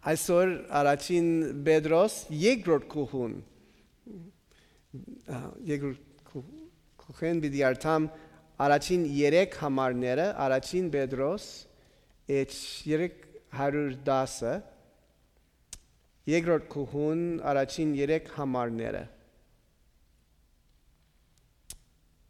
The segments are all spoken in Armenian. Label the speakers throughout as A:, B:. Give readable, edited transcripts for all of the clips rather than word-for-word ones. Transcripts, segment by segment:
A: Այսօր առաջին Պետրոս երկրորդ կողուն պիտի արտամ առաջին 3 համարները առաջին Պետրոս 3:10 երկրորդ կողուն առաջին 3 համարները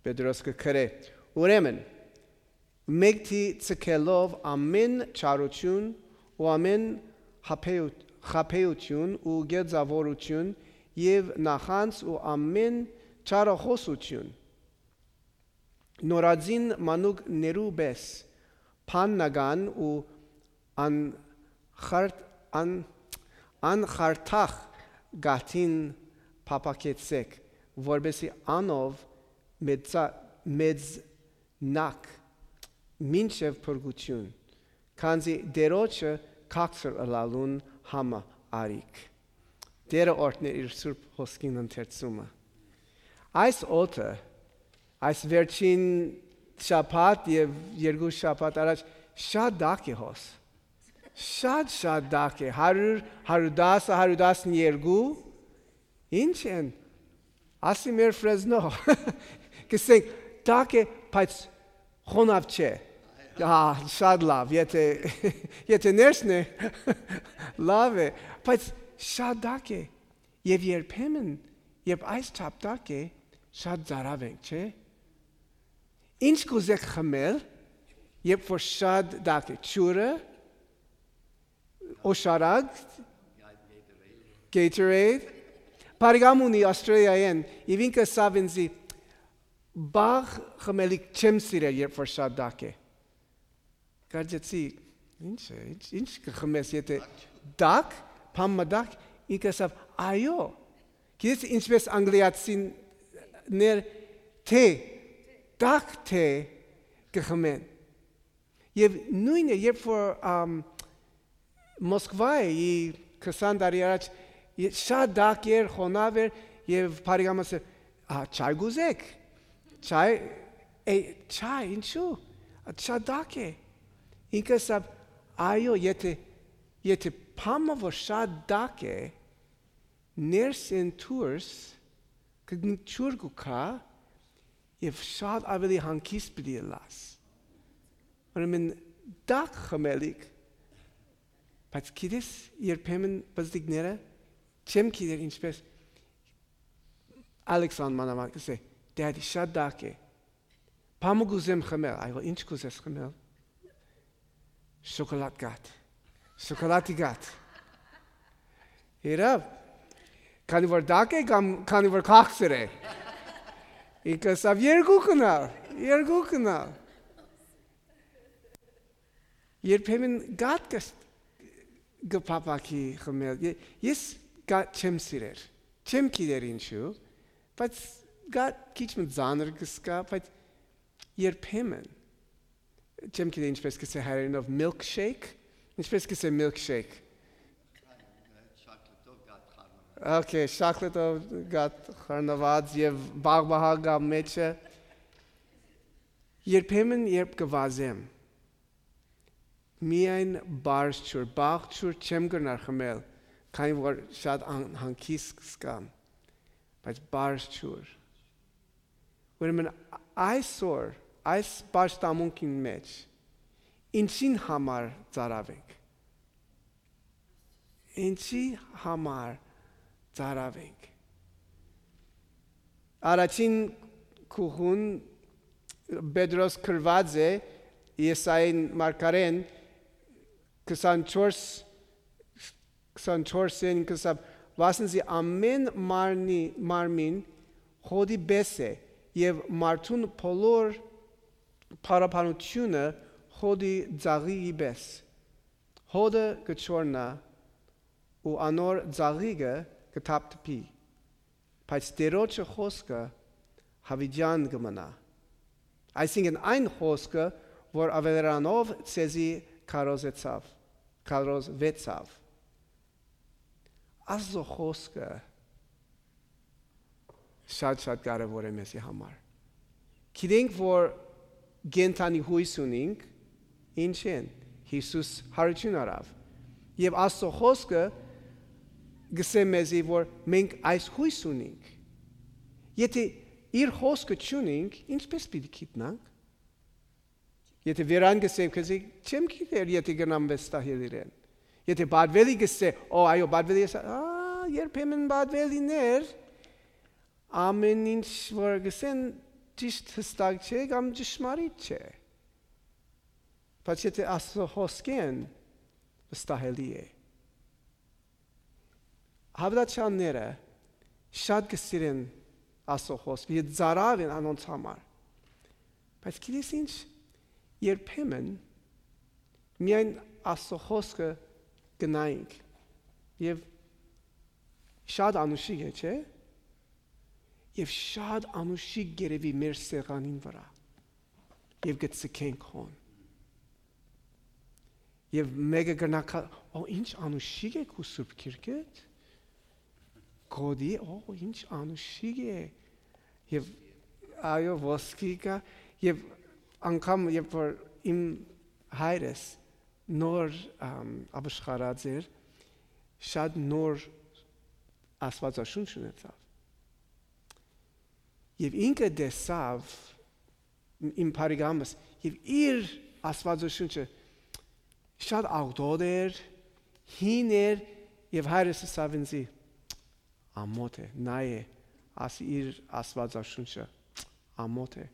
A: Պետրոս կգրե ուրեմն մեկի ցկելով ամեն չարություն ու ամեն խաբեություն ու գերձավորություն եւ նախանց ու ամեն չարախոսություն նորածին մանուկ ներուբես փաննական ու անխարթախ գաթին փապակեցեք որբեսի անով մեծնակ մինչև փրկություն քանզի դերոջը քաղցր ըլալուն համը արիք դերը օրհներ իր սուրբ հոսքին ընթերցումը այս օդը այս վերջին շաբաթ եւ երկու շաբաթ առաջ շատ դակ է հոս շատ դակ է 110 112 ինչ են ասի մեր Ֆրեզնո կսենք դակ է բայց խոնավ չէ շատ լավ եթե ներսն է լավ է բայց շատ դակ է եւ երբեմն երբ այս չափ դակ է շատ ծարավ ենք չէ ինչ կուզեք խմել երբ որ շատ դակ է ջուրը օշարակ Gatorade Պարիգամունի Ավստրալիայեն եւ ինքը սավինզի բաղ խմելիք չեմ սիրել երբ որ շատ դակ է Կարծեցի ինչ կխմես եթե դակ փամմադակ ինքը սավ այո գիտես ինչպես անգլիացիներ թե դակ թե կխմեն եւ նույնը երբ որ Մոսկվայի 20 տարի առաջ շատ դակ էր խոնավ էր եւ Փարիգամասը չայ գուզեք չայ ինչու շատ դակ է ինքը սա այո եթե փամը որ շատ դակ է ներս են թուրս կգնչուր գուքա եւ շատ ավելի հանգիստ պիտի լաս ուրեմն դակ խմելիք բայց գիտես երբեմն բզդիկները չեմ գիտեր ինչպես Ալեքսան մանավանդ կսե դադի շատ դակ է փամը գուզեմ խմել այո ինչ կուզես խմել շոկոլադի գաթ Երավ քանի որ դակ է կամ քանի որ քաղցր է ինքը սա երկու կնալ երբեմն գաթ գփապակի խմել ես գաթ չեմ սիրեր չեմ գիտեր ինչու բայց գաթ քիչ մզանր կսկա բայց երբեմն չեմ գիտեր ինչպես կսե հայերենով milkshake ինչպես կսե milkshake Okay, շաքլետով գաթ խառնված եւ բաղբահագա մեջը երբեմն երբ կվազեմ միայն բարձր բաղջուր չեմ գնար խմել քանի որ շատ հանգիստ կսկամ բայց բարձր ուրեմն այսօր այս պաշտամունքին մեջ ինչին համար ծարավենք ինչի համար ծարավենք առաջին կողուն Պետրոս գրված է Եսային մարգարեն 24-ին կսավ վասնզի ամեն մարմին հոդի բես է եւ մարդուն բոլոր փարապանությունը հոդի ձաղի բես հոդը կչորնա ու անոր ձաղիգը կթափթփի բայց դերոջը խոսքը հավիդյան կմնա այսինքն այն խոսքը որ ավելրանով ցեզի քարոզվեցավ Աստծո խոսքը շատ կարևոր է մեզի համար գիտենք որ գենթանի հույս ունենք ինչ են Հիսուս հարություն արավ Եվ Աստծո խոսքը գսե մեզի, որ մենք այս հույս ունենք։ Եթե իր խոսքը չունենք, ինչպես պիտի գիտնանք։ Եթե վերան գսեմ, քեզ չեմ գիտեր, եթե գնամ վստահել իրեն։ Եթե բադվելի գսե, այո, բադվելի է, երբեմն բադվելիներ, ամեն ինչ որ գսեն ճիշտ հստակ չէ, կամ ճշմարիտ չէ։ Բայց եթե Աստծո խոսքեն, վստահելի է։ Հավատացյալները շատ գսիրեն Աստծո խոսքը, եւ ծարավ են անոնց համար։ Բայց գիտես ինչ, երբեմն միայն Աստծո խոսքը գնայինք եւ շատ անուշիկ է, չէ՞։ Եվ շատ անուշիկ գերեվի մեր սեղանին վրա եւ գցկենք հոն։ Եվ մեկը գնակա, ինչ անուշիկ է քու Սուրբ Գիրքդ։ Գոդի, ինչ անուշիկ է։ Եվ այո, ոսկի կա, եւ անգամ երբ որ իմ հայրս նոր ապաշխարած էր, շատ նոր աստվածաշունչ ունեցավ։ Եվ ինքը դեսավ իմ բարեկամս, եւ իր աստվածաշունչը շատ աղտոտ էր, հին էր, եւ հայրս ասավ ինձ, ամոթ է, նա է, ասի իր աստվածաշունչը, ամոթ է։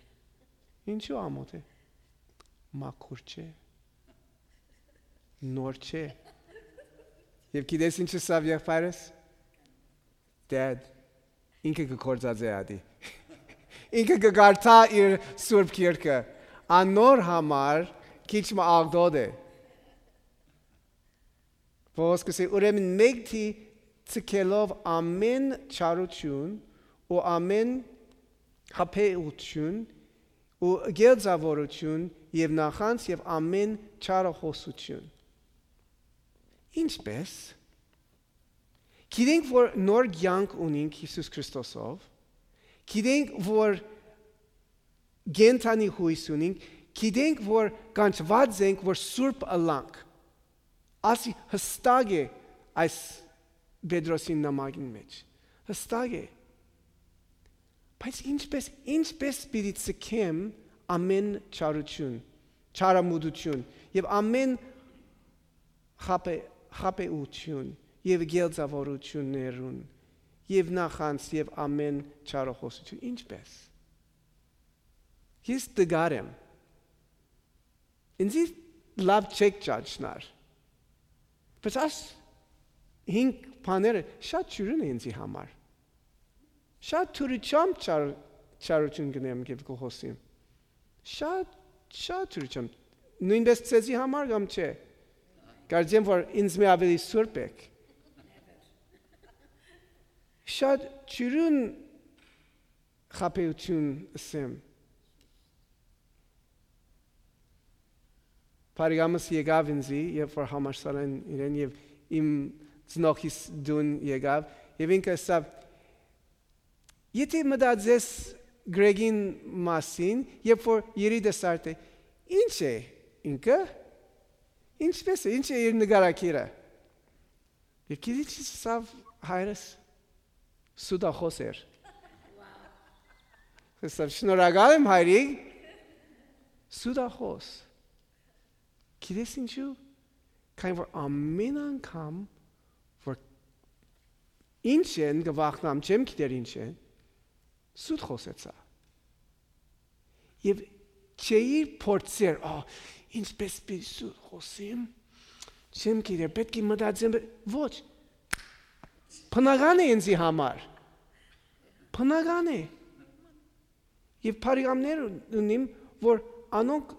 A: Ինչու ամոթ է։ Մաքուր չէ, նոր չէ։ Եվ գիտես ինչ ասավ եղբայրս։ Dad, ինքը կգործած է ադի։ Ինքը կգարտա իր Սուրբ Գիրքը, անոր համար քիչ աղտոտ է։ Ոսկսի ուրեմն մեկի ցկելով ամեն չարություն ու ամեն հապեություն ու գերձավորություն եւ նախանց եւ ամեն չարախոսություն։ Ինչպես գիտենք որ նոր կյանք ունենք Հիսուս Քրիստոսով, գիտենք որ գենթանի հույս ունենք, գիտենք որ կանչված ենք որ սուրբ ըլանք։ Ասի հստակ է այս Պետրոսի նամակին մեջ։ Հստակ է։ Բայց ինչպես պիտի ցկեմ ամեն չարություն, չարամուդություն եւ ամեն խապեություն եւ գերձավորություններուն եւ նախանց եւ ամեն չարախոսություն ինչպես։ Ես դգարեմ։ Ինձ լավ չեք ճանչնար։ Բայց այս հինգ բաները շատ ճյուրին է ինձի համար։ Շատ թուրիչամ չարություն գնեմ և կողոսիմ։ Շատ թուրիչամ։ Նույնպես ծեզի համար կամ չէ։ Կարծեմ, որ ինձ մի ավելի սուրբ եք։ Շատ ճյուրին խապեություն ասեմ։ Բարեկամս եկավ ինձի, երբ որ համալսարան իրեն եւ իմ ծնողիս դուն եկավ, եւ ինքը ասավ. Եթե մտածես Գրեգին մասին, երբ որ երիտասարդ է, ինչ է ինքը? Ինչպես է, ինչ է իր նկարակիրը? Եվ գիտես ասավ հայրս սուդախոս էր։ Ասավ շնորհակալ եմ հայրիկ, սուդախոս։ Գիտես ինչու, քանի որ ամեն անգամ, որ ինչ են գվախնամ, չեմ գիտեր ինչ են, սուտ խոսեցա։ Եվ չէի փորձեր, ինչպես պիտի սուտ խոսեմ, չեմ գիտեր, պետք է մտածեմ, ոչ, բնական է ինձի համար, բնական է։ Եվ բարեկամներ ունիմ, որ անոնք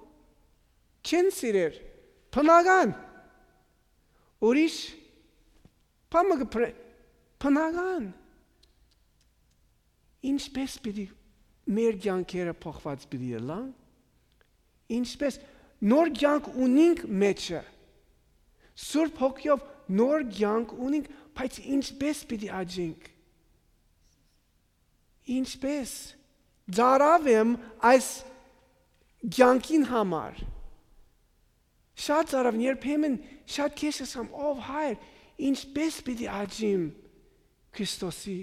A: չեն սիրեր, բնական, ուրիշ, բնական, ինչպես պիտի մեր կյանքերը փոխված պիտի ելան, ինչպես նոր կյանք ունենք մեջը, Սուրբ Հոգիով նոր կյանք ունենք, բայց ինչպես պիտի աճենք, ինչպես ծարավ եմ այս կյանքին համար, Շատ ծարավ երբեմն շատ քեզ ասամ, ով հայր, ինչպես պիտի աճիմ Քրիստոսի։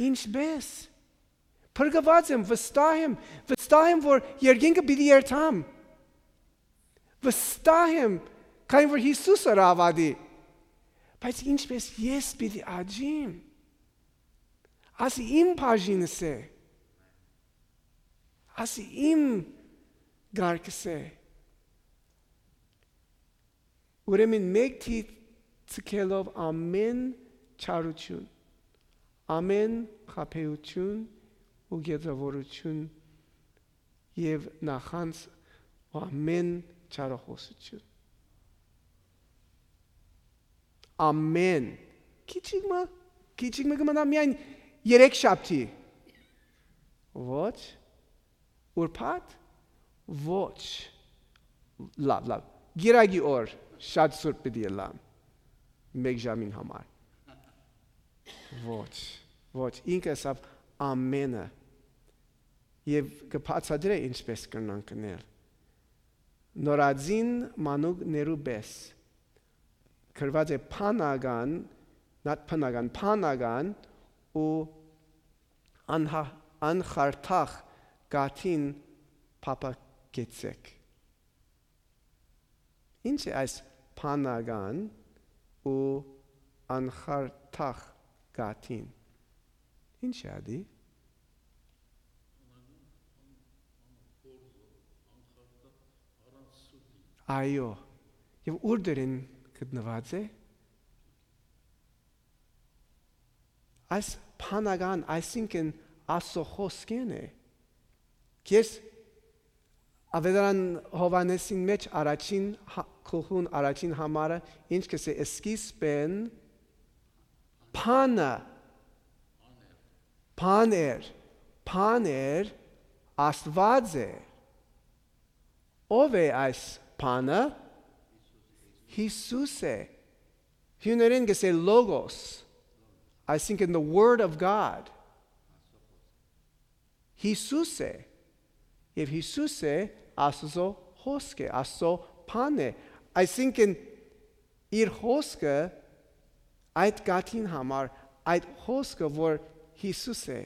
A: Ինչպես։ Փրկված եմ, վստահ եմ, որ երկինքը պիտի երթամ։ Վստահ եմ, քանի որ Հիսուսը ռավադի։ Բայց ինչպես ես պիտի աճիմ։ Ասի իմ բաժինս է։ Ասի իմ գարկս է։ Ուրեմն մեկ թիվ ցկելով ամեն չարություն, ամեն խաբեություն ու գերազորություն եւ նախանց ու ամեն չարախոսություն։ Ամեն քիչիկ մը միայն 3 շաբթի։ Ոչ ուրբաթ ոչ լավ գիրագի օր շատ սուրբ պիտի լամ մեկ ժամին համար ոչ ինքը սավ ամենը եւ կբացատրե ինչպես կնան կնել նորածին մանուկներու պես գրված է փանական ու անխարթախ գաթին փապակեցեք ինչ է այս փանական ու անխարթախ գաթին ինչ է ադի այո եւ ուր դերին գտնված է այս փանական այսինքն ասոխոսկեն է քեզ ավետարան Հովանեսին մեջ առաջին քուհուն առաջին համարը ինչ կսե սկիզբեն Փաներ Աստված է ով է այս փանը Հիսուս է հյուներեն կսե logos այսինքն the word of God Հիսուս է եւ Հիսուս է Աստծո խոսքը Աստծո փան է այսինքն իր խոսքը այդ գաթին համար այդ խոսքը որ Հիսուս է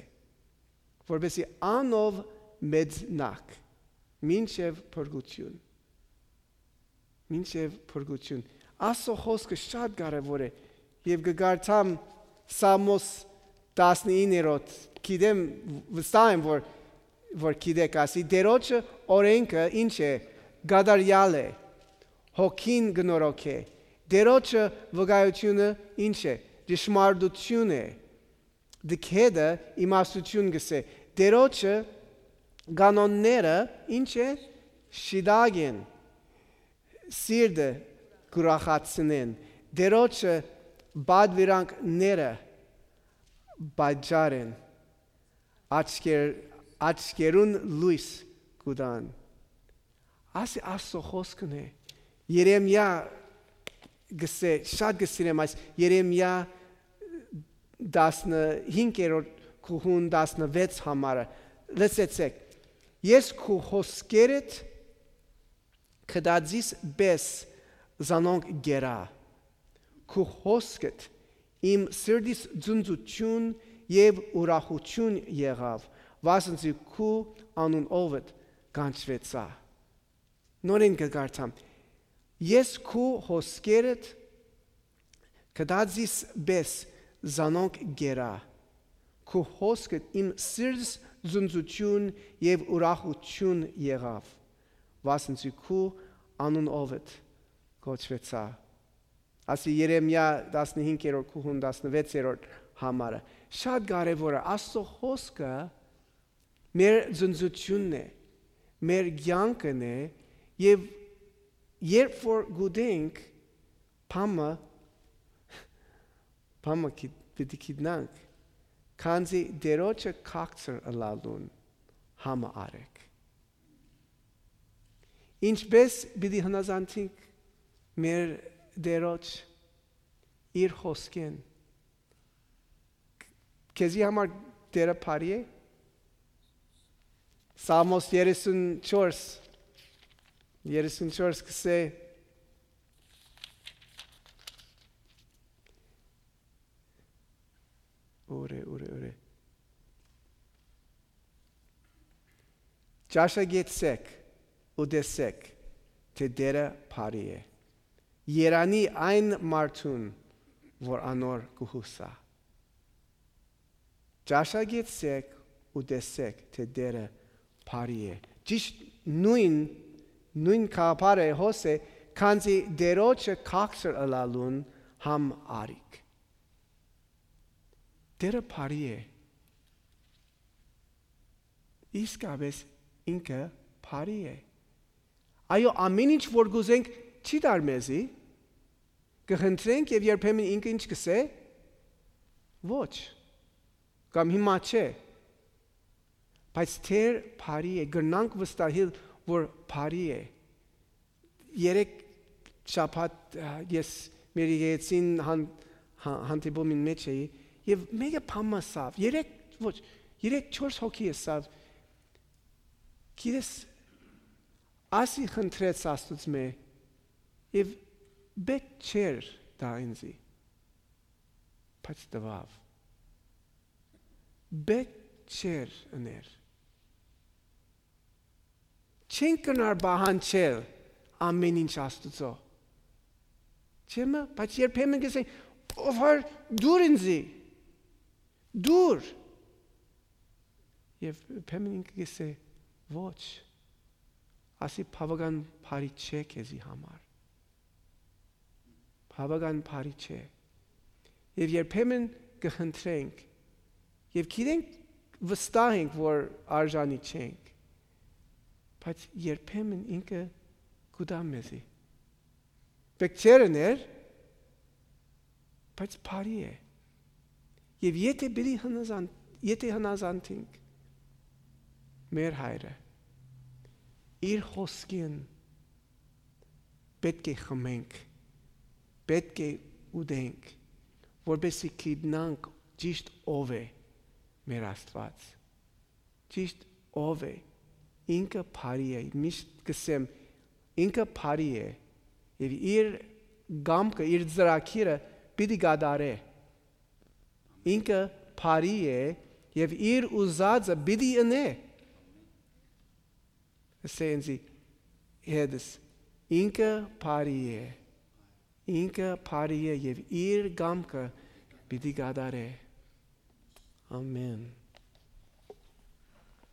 A: որովհետեւ անով մեծնակ մինչև փրկություն Աստծո խոսքը շատ կարևոր է եւ կգարտամ Սամոս 19-րդ գիտեմ վստահ եմ որ գիտեք ասի դերոջը օրենքը ինչ է գադարյալ է հոգին գնորոք է դերոջը վկայությունը ինչ է ճշմարտություն է դքեդը իմաստություն գսե դերոջը կանոնները ինչ է շիդագեն սիրտը կուրախացնեն դերոջը բադվիրանքները բաջարեն աչքերուն լույս կուտան ասի Աստծո խոսքն է Երեմիա գսե շատ գսիրեմ այս Երեմիա 15-րդ քուհուն 16 համարը լսեցեք ես քու խոսքերդ կդածիս բես զանոնք գերա քու խոսքդ իմ սրտիս ձունձություն եւ ուրախություն եղավ վասնզի քու անուն ովդ կանչվեցա նորեն կգարտամ ես քու խոսքերդ կդածիս բես զանոնք գերա քու խոսքդ իմ սրտիս ձունձություն եւ ուրախություն եղավ վասնզի քու անուն ովդ կոչվեցա ասի Երեմիա 15-րդ քուհուն 16-րդ համարը շատ կարևոր է Աստծո խոսքը մեր ձնձությունն է մեր կյանքն է եւ երբ որ գուտենք փամը պիտի գիտնանք քանզի դերոջը քաղցր ըլալուն համը արեք ինչպես պիտի հնազանդենք մեր դերոջ իր խոսքեն քեզի համար դերը բարի է Սամոս 34 34 կսե Ուրե Ճաշակեցեք ու տեսեք, թե դերը բարի է։ Երանի այն մարդուն, որ անոր կհուսա։ Ճաշակեցեք ու տեսեք, թե դերը բարի է։ Ճիշտ նույն կապարը հոսե, քանզի դերոջը քաղցր ըլալուն համ արիք։ Դերը բարի է։ Իսկապես ինքը բարի է։ Այո, ամեն ինչ որ գուզենք չի դար մեզի, կխնդրենք եւ երբեմն ինքը ինչ կսե։ Ոչ։ Կամ հիմա չէ։ Բայց թեր բարի է, գրնանք վստահել, որ բարի է։ Երեք շաբաթ ես մեր եկեցին հանդիպումին մեջ էի եւ մեկը փամասավ։ Երեք 4 հոգի էսավ։ Գիտես, ասի խնդրեց Աստծուց մե եւ բեք չեր դա ինձի։ Բայց տվավ։ Բեք չեր ըներ։ Չեն կնար բահանչել ամեն ինչ Աստծո։ Չեմը, բայց երբեմն կսեն, ով դուր ինձի, դուր։ Եվ երբեմն ինքը կսե, ոչ, ասի բավական բարի չէ քեզի համար։ Բավական բարի չէ։ Եվ երբեմն կխնդրենք, եւ գիտենք վստահ ենք, որ արժանի չենք, բայց երբեմն ինքը գուտա մեզի։ Բեք չեր ըներ, բայց բարի է։ Եվ եթե հնազանդենք մեր հայրը, իր խոսքին պետք է խմենք, պետք է ուտենք, որպեսզի գիտնանք ճիշտ ով է մեր Աստված, ճիշտ ով է, ինքը բարի է, միշտ կսեմ, ինքը բարի է, եւ իր գամքը, իր ծրագիրը պիտի գադարե, ինքը բարի է, եւ իր ուզածը պիտի ընե, ասենզի հետս, ինքը բարի է, եւ իր գամքը պիտի գադարե, ամեն։